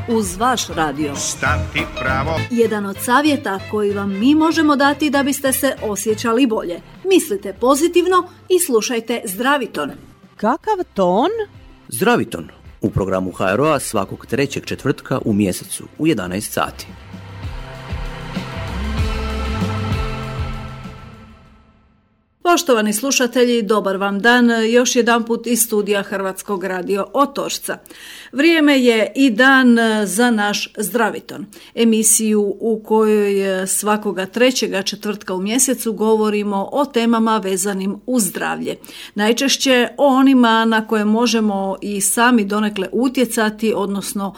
uz vaš radio. Stati pravo. Jedan od savjeta koji vam mi možemo dati da biste se osjećali bolje. Mislite pozitivno i slušajte Zdraviton. Kakav ton? Zdraviton u programu HRO-a svakog trećeg četvrtka u mjesecu u 11 sati. Poštovani slušatelji, dobar vam dan, još jedanput iz studija Hrvatskog radio Otočca. Vrijeme je i dan za naš Zdraviton, emisiju u kojoj svakoga trećega četvrtka u mjesecu govorimo o temama vezanim uz zdravlje. Najčešće o onima na koje možemo i sami donekle utjecati, odnosno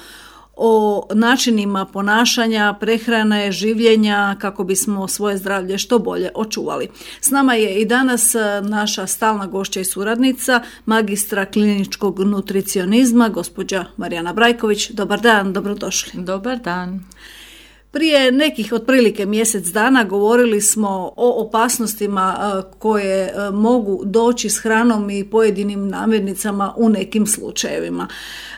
o načinima ponašanja, prehrane, življenja kako bismo svoje zdravlje što bolje očuvali. S nama je i danas naša stalna gošća i suradnica, magistra kliničkog nutricionizma, gospođa Marijana Brajković. Dobar dan, dobrodošli. Dobar dan. Prije nekih otprilike mjesec dana govorili smo o opasnostima koje mogu doći s hranom i pojedinim namirnicama u nekim slučajevima.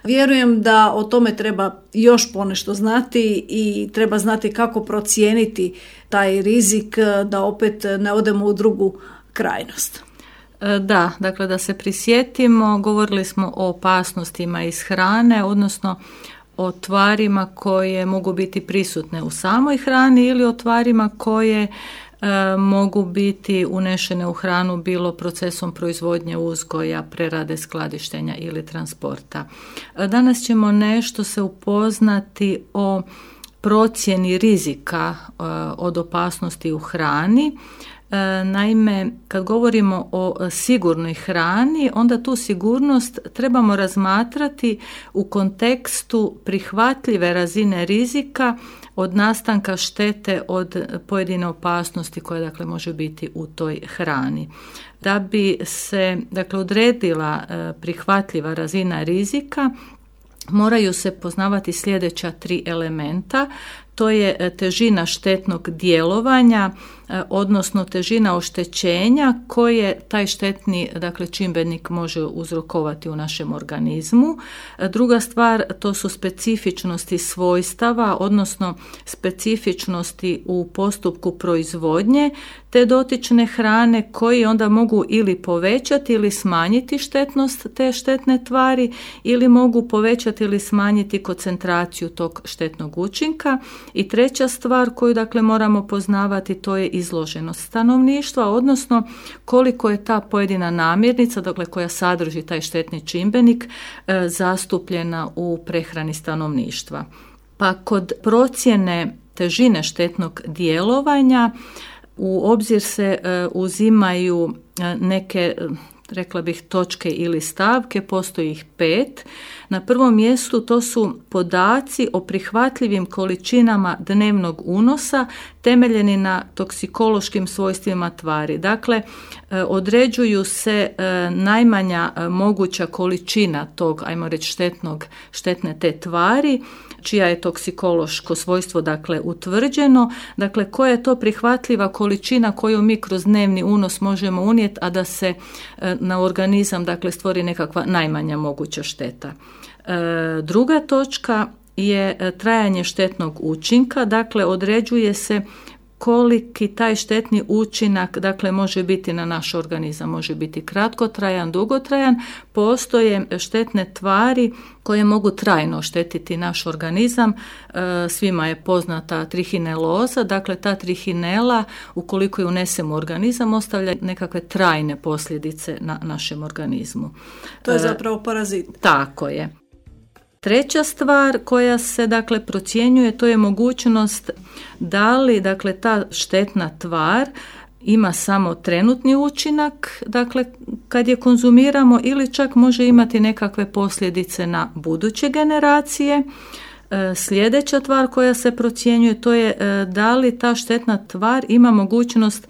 Vjerujem da o tome treba još ponešto znati i treba znati kako procijeniti taj rizik da opet ne odemo u drugu krajnost. Da, dakle da se prisjetimo, govorili smo o opasnostima iz hrane, odnosno o tvarima koje mogu biti prisutne u samoj hrani ili o tvarima koje mogu biti unešene u hranu bilo procesom proizvodnje, uzgoja, prerade, skladištenja ili transporta. Danas ćemo nešto se upoznati o procjeni rizika od opasnosti u hrani. Naime, kad govorimo o sigurnoj hrani, onda tu sigurnost trebamo razmatrati u kontekstu prihvatljive razine rizika od nastanka štete od pojedine opasnosti koja dakle može biti u toj hrani. Da bi se dakle odredila prihvatljiva razina rizika, moraju se poznavati sljedeća 3 elementa. To je težina štetnog djelovanja, odnosno težina oštećenja koje taj štetni dakle, čimbenik može uzrokovati u našem organizmu. Druga stvar, to su specifičnosti svojstava, odnosno specifičnosti u postupku proizvodnje te dotične hrane koji onda mogu ili povećati ili smanjiti štetnost te štetne tvari ili mogu povećati ili smanjiti koncentraciju tog štetnog učinka. I treća stvar koju dakle moramo poznavati, to je izloženost stanovništva, odnosno koliko je ta pojedina namirnica, dakle koja sadrži taj štetni čimbenik, zastupljena u prehrani stanovništva. Pa kod procjene težine štetnog djelovanja u obzir se uzimaju neke, rekla bih, točke ili stavke, postoji ih 5. Na prvom mjestu to su podaci o prihvatljivim količinama dnevnog unosa temeljeni na toksikološkim svojstvima tvari. Dakle, određuju se najmanja moguća količina tog, ajmo reći, štetne te tvari, čija je toksikološko svojstvo dakle utvrđeno, dakle koja je to prihvatljiva količina koju mi kroz dnevni unos možemo unijeti, a da se na organizam dakle stvori nekakva najmanja moguća šteta. Druga točka je trajanje štetnog učinka, dakle određuje se koliki taj štetni učinak dakle može biti na naš organizam, može biti kratkotrajan, dugotrajan. Postoje štetne tvari koje mogu trajno štetiti naš organizam. Svima je poznata trihineloza, dakle ta trihinela ukoliko je unesemo u organizam ostavlja nekakve trajne posljedice na našem organizmu. To je zapravo parazit. Tako je. Treća stvar koja se dakle procjenjuje, to je mogućnost da li dakle ta štetna tvar ima samo trenutni učinak, dakle kad je konzumiramo, ili čak može imati nekakve posljedice na buduće generacije. Sljedeća tvar koja se procjenjuje, to je da li ta štetna tvar ima mogućnost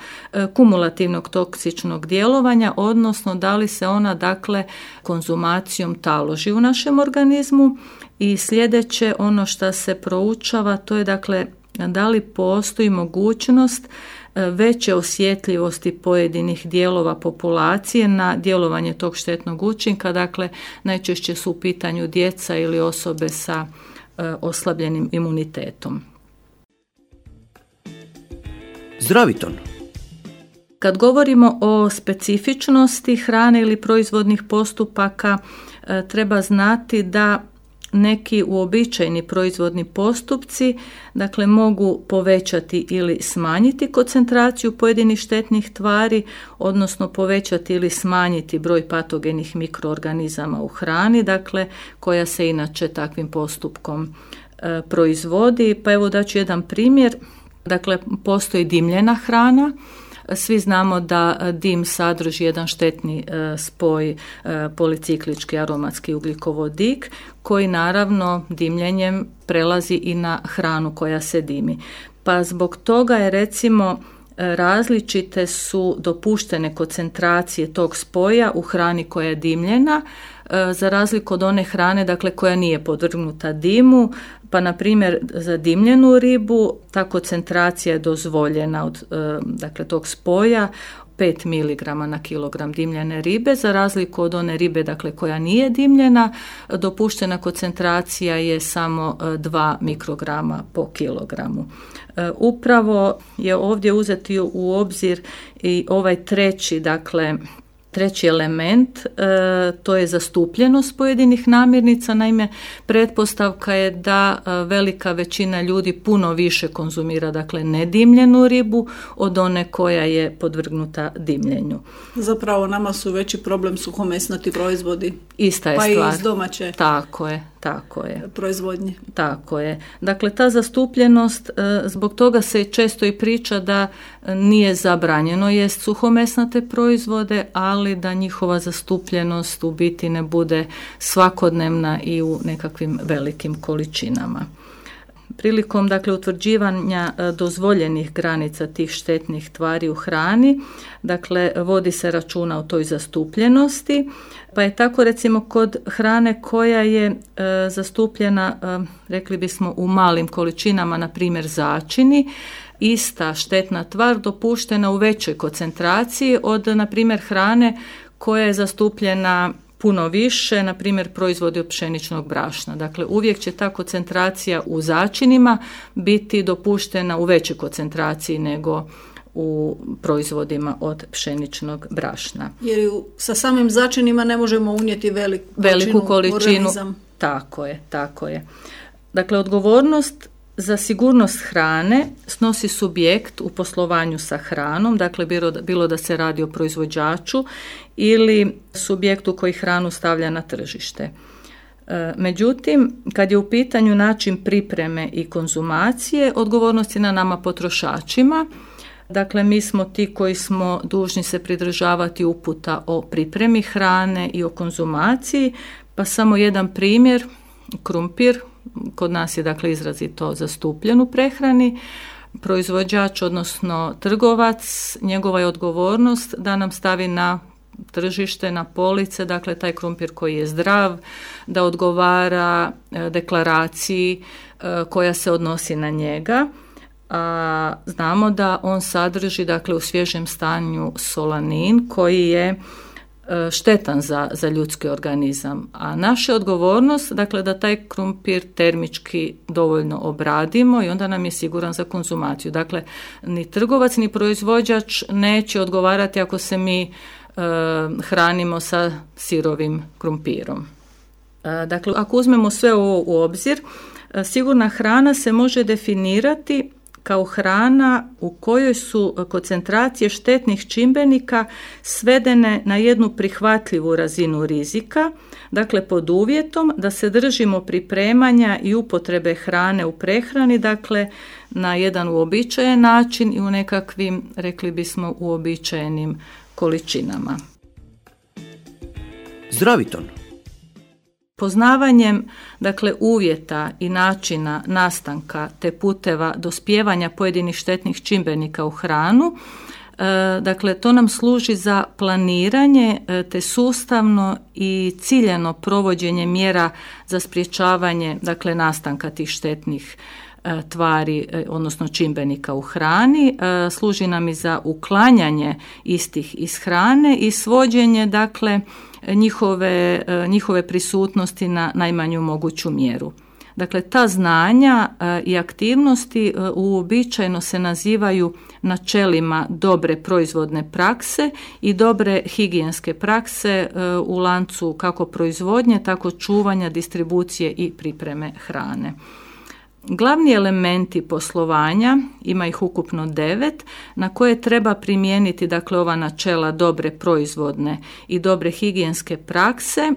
kumulativnog toksičnog djelovanja, odnosno da li se ona dakle konzumacijom taloži u našem organizmu. I sljedeće, ono što se proučava, to je dakle da li postoji mogućnost veće osjetljivosti pojedinih dijelova populacije na djelovanje tog štetnog učinka. Dakle, najčešće su u pitanju djeca ili osobe sa oslabljenim imunitetom. Zdraviton. Kad govorimo o specifičnosti hrane ili proizvodnih postupaka, treba znati da neki uobičajeni proizvodni postupci, dakle, mogu povećati ili smanjiti koncentraciju pojedinih štetnih tvari, odnosno povećati ili smanjiti broj patogenih mikroorganizama u hrani, dakle, koja se inače takvim postupkom proizvodi. Pa evo daću jedan primjer. Dakle, postoji dimljena hrana. Svi znamo da dim sadrži jedan štetni spoj, policiklički aromatski ugljikovodik, koji naravno dimljenjem prelazi i na hranu koja se dimi. Pa zbog toga je, recimo, različite su dopuštene koncentracije tog spoja u hrani koja je dimljena, za razliku od one hrane, dakle, koja nije podvrgnuta dimu. Pa na primjer za dimljenu ribu ta koncentracija je dozvoljena od dakle, tog spoja 5 mg na kilogram dimljene ribe, za razliku od one ribe, dakle, koja nije dimljena, dopuštena koncentracija je samo 2 mikrograma po kilogramu. Upravo je ovdje uzeti u obzir i ovaj treći element, to je zastupljenost pojedinih namirnica. Naime, pretpostavka je da velika većina ljudi puno više konzumira, dakle, nedimljenu ribu od one koja je podvrgnuta dimljenju. Zapravo nama su veći problem suhomesnati proizvodi. Ista je pa stvar. Pa i iz domaće. Tako je. Proizvodnje. Tako je. Dakle, ta zastupljenost, zbog toga se često i priča da nije zabranjeno jest suhomesnate proizvode, ali da njihova zastupljenost u biti ne bude svakodnevna i u nekakvim velikim količinama. Prilikom, dakle, utvrđivanja dozvoljenih granica tih štetnih tvari u hrani, dakle, vodi se računa o toj zastupljenosti, pa je tako, recimo, kod hrane koja je zastupljena, rekli bismo, u malim količinama, na primjer začini, ista štetna tvar dopuštena u većoj koncentraciji od, na primjer, hrane koja je zastupljena puno više, na primjer proizvodi od pšeničnog brašna. Dakle, uvijek će ta koncentracija u začinima biti dopuštena u većoj koncentraciji nego u proizvodima od pšeničnog brašna. Jer sa samim začinima ne možemo unijeti veliku količinu organizam. Tako je. Dakle, odgovornost za sigurnost hrane snosi subjekt u poslovanju sa hranom, dakle bilo da se radi o proizvođaču ili subjektu koji hranu stavlja na tržište. Međutim, kad je u pitanju način pripreme i konzumacije, odgovornost je na nama potrošačima. Dakle, mi smo ti koji smo dužni se pridržavati uputa o pripremi hrane i o konzumaciji, pa samo jedan primjer, krumpir, kod nas je, dakle, izrazito zastupljen u prehrani. Proizvođač, odnosno trgovac, njegova je odgovornost da nam stavi na tržište, na police, dakle, taj krumpir koji je zdrav, da odgovara deklaraciji koja se odnosi na njega. A znamo da on sadrži, dakle, u svježem stanju solanin koji je štetan za ljudski organizam. A naša je odgovornost, dakle, da taj krumpir termički dovoljno obradimo i onda nam je siguran za konzumaciju. Dakle, ni trgovac ni proizvođač neće odgovarati ako se mi hranimo sa sirovim krumpirom. Dakle, ako uzmemo sve ovo u obzir, sigurna hrana se može definirati kao hrana u kojoj su koncentracije štetnih čimbenika svedene na jednu prihvatljivu razinu rizika, dakle pod uvjetom da se držimo pripremanja i upotrebe hrane u prehrani, dakle na jedan uobičajen način i u nekakvim, rekli bismo, uobičajenim količinama. Zdraviton. Poznavanjem, dakle, uvjeta i načina nastanka te puteva dospijevanja pojedinih štetnih čimbenika u hranu, dakle, to nam služi za planiranje te sustavno i ciljano provođenje mjera za sprječavanje, dakle, nastanka tih štetnih tvari, odnosno čimbenika u hrani, služi nam i za uklanjanje istih iz hrane i svođenje, dakle, njihove prisutnosti na najmanju moguću mjeru. Dakle, ta znanja i aktivnosti uobičajeno se nazivaju načelima dobre proizvodne prakse i dobre higijenske prakse u lancu kako proizvodnje, tako čuvanja, distribucije i pripreme hrane. Glavni elementi poslovanja, ima ih ukupno 9, na koje treba primijeniti dakle ova načela dobre proizvodne i dobre higijenske prakse.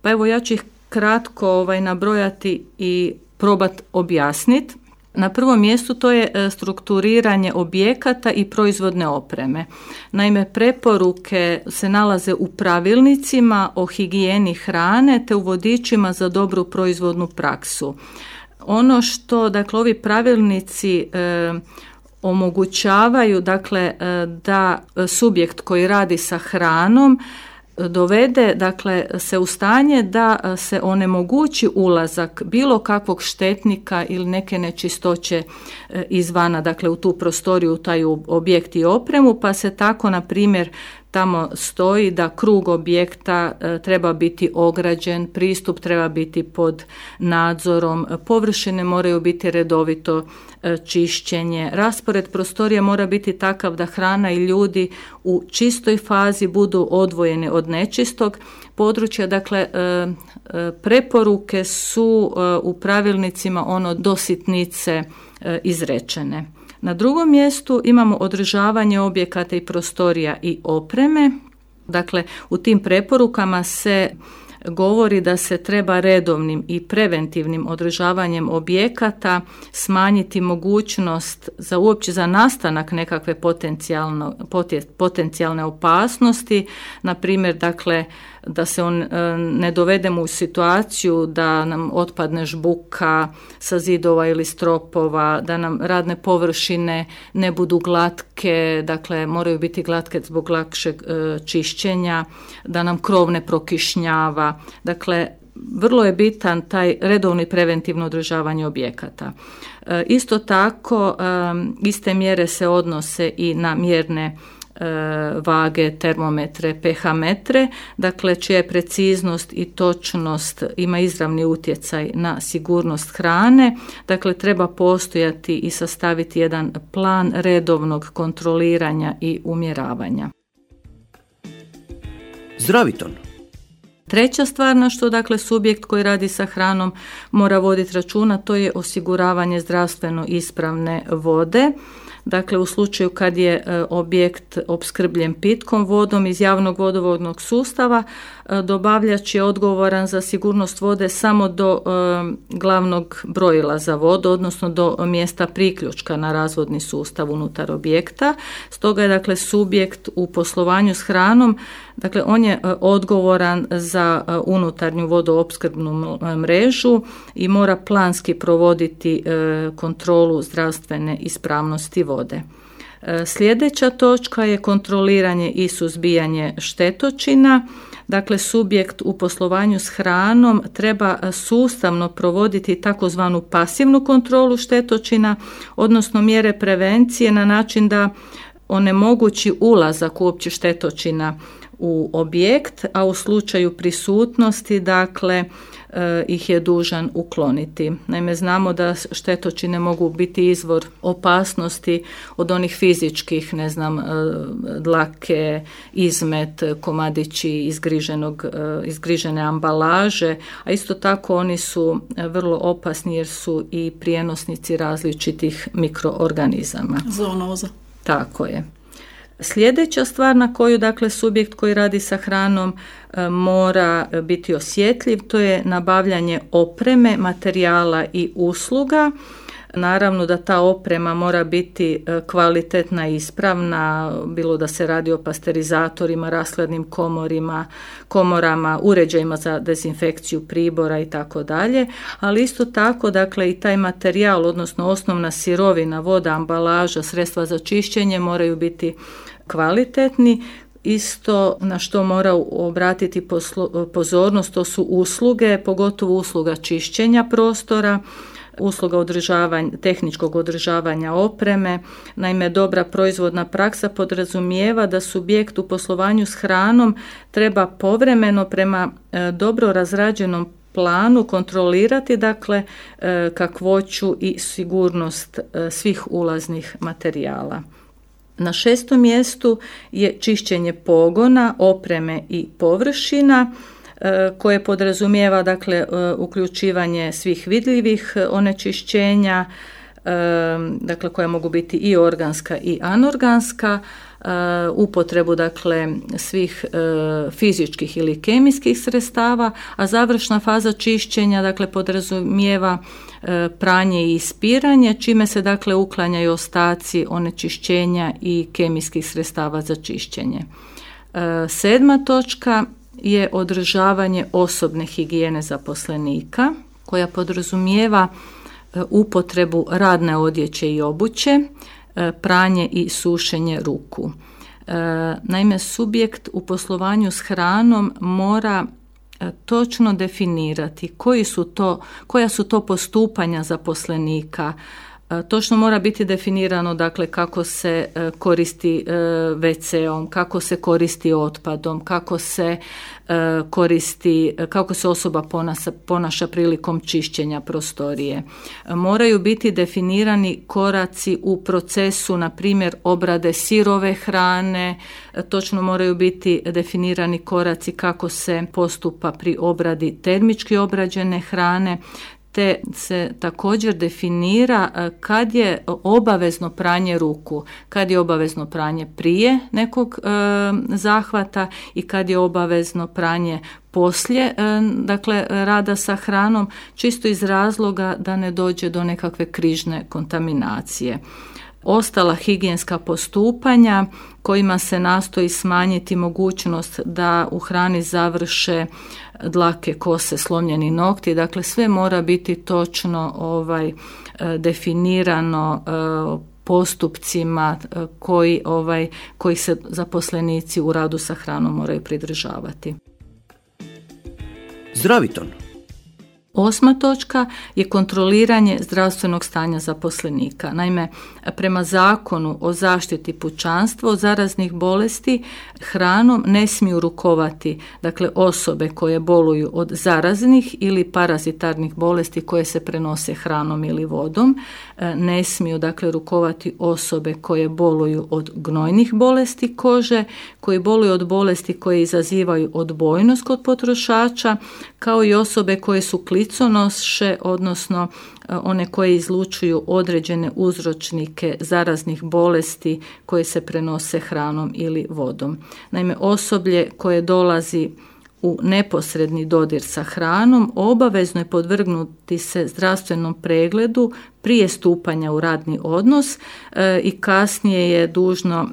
Pa evo ja ću ih kratko nabrojati i probati objasniti. Na prvom mjestu to je strukturiranje objekata i proizvodne opreme. Naime, preporuke se nalaze u pravilnicima o higijeni hrane te u vodičima za dobru proizvodnu praksu. Ono što dakle ovi pravilnici omogućavaju dakle da subjekt koji radi sa hranom dovede dakle se u stanje da se onemogući ulazak bilo kakvog štetnika ili neke nečistoće izvana dakle u tu prostoriju, u taj objekt i opremu, pa se tako na primjer tamo stoji da krug objekta treba biti ograđen, pristup treba biti pod nadzorom, površine moraju biti redovito čišćenje, raspored prostorija mora biti takav da hrana i ljudi u čistoj fazi budu odvojeni od nečistog područja. Dakle, preporuke su u pravilnicima do sitnice izrečene. Na drugom mjestu imamo održavanje objekata i prostorija i opreme. Dakle, u tim preporukama se govori da se treba redovnim i preventivnim održavanjem objekata smanjiti mogućnost za nastanak nekakve potencijalne opasnosti, na primjer dakle da se ne dovedemo u situaciju da nam otpadne žbuka sa zidova ili stropova, da nam radne površine ne budu glatke, dakle moraju biti glatke zbog lakšeg čišćenja, da nam krov ne prokišnjava. Dakle, vrlo je bitan taj redovni preventivno održavanje objekata. Isto tako, iste mjere se odnose i na mjerne vage, termometre, pH metre, dakle čija je preciznost i točnost ima izravni utjecaj na sigurnost hrane. Dakle, treba postojati i sastaviti jedan plan redovnog kontroliranja i umjeravanja. Zdraviton. Treća stvar na što dakle subjekt koji radi sa hranom mora voditi računa, to je osiguravanje zdravstveno ispravne vode. Dakle, u slučaju kad je objekt opskrbljen pitkom vodom iz javnog vodovodnog sustava, dobavljač je odgovoran za sigurnost vode samo do glavnog brojila za vodu, odnosno do mjesta priključka na razvodni sustav unutar objekta. Stoga je dakle subjekt u poslovanju s hranom, dakle on je odgovoran za unutarnju vodoopskrbnu mrežu i mora planski provoditi kontrolu zdravstvene ispravnosti vode. Sljedeća točka je kontroliranje i suzbijanje štetočina. Dakle, subjekt u poslovanju s hranom treba sustavno provoditi takozvanu pasivnu kontrolu štetočina, odnosno mjere prevencije na način da onemogući ulazak uopće štetočina u objekt, a u slučaju prisutnosti, dakle, ih je dužan ukloniti. Naime, znamo da štetočine mogu biti izvor opasnosti od onih fizičkih, dlake, izmet, komadići izgrižene ambalaže, a isto tako oni su vrlo opasni jer su i prijenosnici različitih mikroorganizama. Zoonoza. Tako je. Sljedeća stvar na koju dakle subjekt koji radi sa hranom mora biti osjetljiv, to je nabavljanje opreme, materijala i usluga. Naravno da ta oprema mora biti kvalitetna i ispravna, bilo da se radi o pasterizatorima, rashladnim komorama, uređajima za dezinfekciju pribora i tako dalje, ali isto tako dakle i taj materijal, odnosno osnovna sirovina, voda, ambalaža, sredstva za čišćenje moraju biti kvalitetni. Isto na što mora obratiti pozornost, to su usluge, pogotovo usluga čišćenja prostora, usluga tehničkog održavanja opreme. Naime, dobra proizvodna praksa podrazumijeva da subjekt u poslovanju s hranom treba povremeno prema dobro razrađenom planu kontrolirati dakle kakvoću i sigurnost svih ulaznih materijala. Na 6. mjestu je čišćenje pogona, opreme i površina koje podrazumijeva dakle uključivanje svih vidljivih onečišćenja, dakle koja mogu biti i organska i anorganska, upotrebu dakle svih fizičkih ili kemijskih sredstava, a završna faza čišćenja dakle podrazumijeva pranje i ispiranje, čime se dakle uklanjaju ostaci onečišćenja i kemijskih sredstava za čišćenje. 7. točka je održavanje osobne higijene zaposlenika, koja podrazumijeva upotrebu radne odjeće i obuće, pranje i sušenje ruku. Naime, subjekt u poslovanju s hranom mora točno definirati koja su to postupanja zaposlenika. Točno mora biti definirano dakle kako se koristi WC-om, kako se koristi otpadom, kako se osoba ponaša prilikom čišćenja prostorije. Moraju biti definirani koraci u procesu, na primjer obrade sirove hrane, točno moraju biti definirani koraci kako se postupa pri obradi termički obrađene hrane, te se također definira kad je obavezno pranje ruku, kad je obavezno pranje prije nekog zahvata i kad je obavezno pranje poslije dakle rada sa hranom, čisto iz razloga da ne dođe do nekakve križne kontaminacije. Ostala higijenska postupanja kojima se nastoji smanjiti mogućnost da u hrani završe dlake, kose, slomljeni nokti, dakle sve mora biti točno definirano postupcima koji se zaposlenici u radu sa hranom moraju pridržavati. Zdraviton. 8. točka je kontroliranje zdravstvenog stanja zaposlenika. Naime, prema Zakonu o zaštiti pučanstva od zaraznih bolesti hranom ne smiju rukovati dakle osobe koje boluju od zaraznih ili parazitarnih bolesti koje se prenose hranom ili vodom. Ne smiju dakle rukovati osobe koje boluju od gnojnih bolesti kože, koji boluju od bolesti koje izazivaju odbojnost kod potrošača, kao i osobe koje su kliconoše, odnosno one koje izlučuju određene uzročnike zaraznih bolesti koje se prenose hranom ili vodom. Naime, osoblje koje dolazi u neposredni dodir sa hranom obavezno je podvrgnuti se zdravstvenom pregledu prije stupanja u radni odnos i kasnije je dužno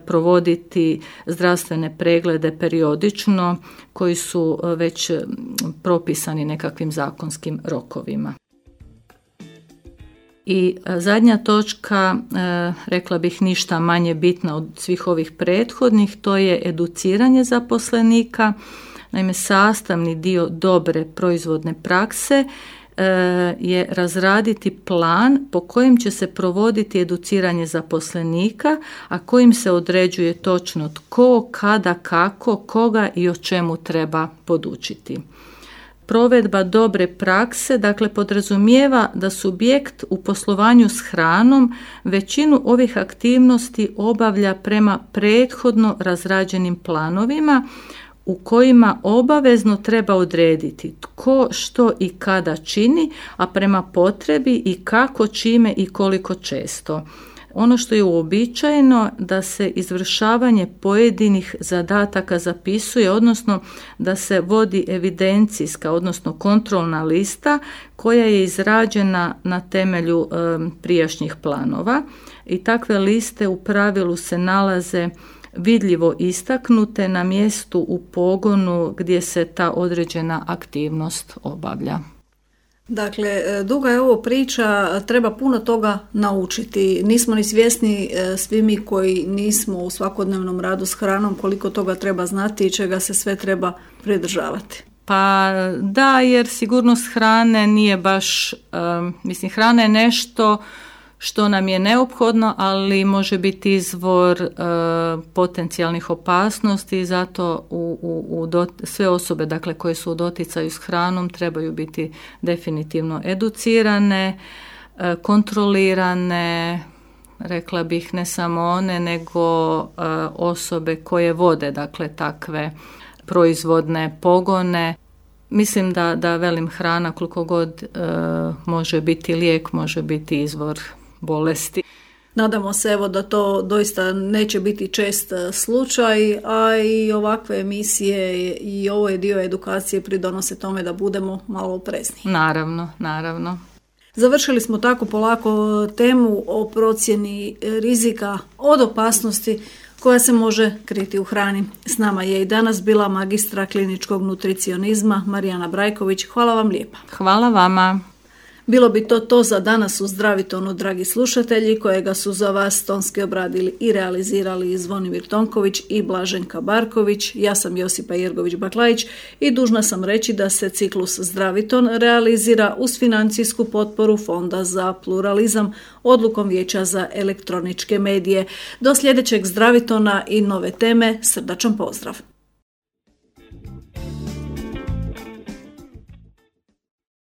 provoditi zdravstvene preglede periodično koji su već propisani nekakvim zakonskim rokovima. I zadnja točka, rekla bih ništa manje bitna od svih ovih prethodnih, to je educiranje zaposlenika. Naime, sastavni dio dobre proizvodne prakse je razraditi plan po kojem će se provoditi educiranje zaposlenika, a kojim se određuje točno tko, kada, kako, koga i o čemu treba podučiti. Provedba dobre prakse, dakle, podrazumijeva da subjekt u poslovanju s hranom većinu ovih aktivnosti obavlja prema prethodno razrađenim planovima u kojima obavezno treba odrediti tko, što i kada čini, a prema potrebi i kako, čime i koliko često. Ono što je uobičajeno da se izvršavanje pojedinih zadataka zapisuje, odnosno da se vodi evidencijska, odnosno kontrolna lista koja je izrađena na temelju prijašnjih planova i takve liste u pravilu se nalaze vidljivo istaknute na mjestu u pogonu gdje se ta određena aktivnost obavlja. Dakle, duga je ovo priča, treba puno toga naučiti. Nismo ni svjesni svi mi koji nismo u svakodnevnom radu s hranom koliko toga treba znati i čega se sve treba pridržavati. Pa da, jer sigurnost hrane nije baš, hrana je nešto što nam je neophodno, ali može biti izvor potencijalnih opasnosti, zato sve osobe dakle, koje su u doticaju s hranom trebaju biti definitivno educirane, kontrolirane, rekla bih ne samo one, nego osobe koje vode dakle, takve proizvodne pogone. Mislim da velim hrana koliko god može biti lijek, može biti izvor bolesti. Nadamo se evo da to doista neće biti čest slučaj, a i ovakve emisije i ovo je dio edukacije pridonose tome da budemo malo oprezniji. Naravno. Završili smo tako polako temu o procjeni rizika od opasnosti koja se može kriti u hrani. S nama je i danas bila magistra kliničkog nutricionizma Marijana Brajković. Hvala vam lijepa. Hvala vama. Bilo bi to za danas u Zdravitonu, dragi slušatelji, kojega su za vas tonski obradili i realizirali Zvonimir Tonković i Blaženka Barković. Ja sam Josipa Jergović-Baklajić i dužna sam reći da se ciklus Zdraviton realizira uz financijsku potporu Fonda za pluralizam odlukom Vijeća za elektroničke medije. Do sljedećeg Zdravitona i nove teme, srdačan pozdrav.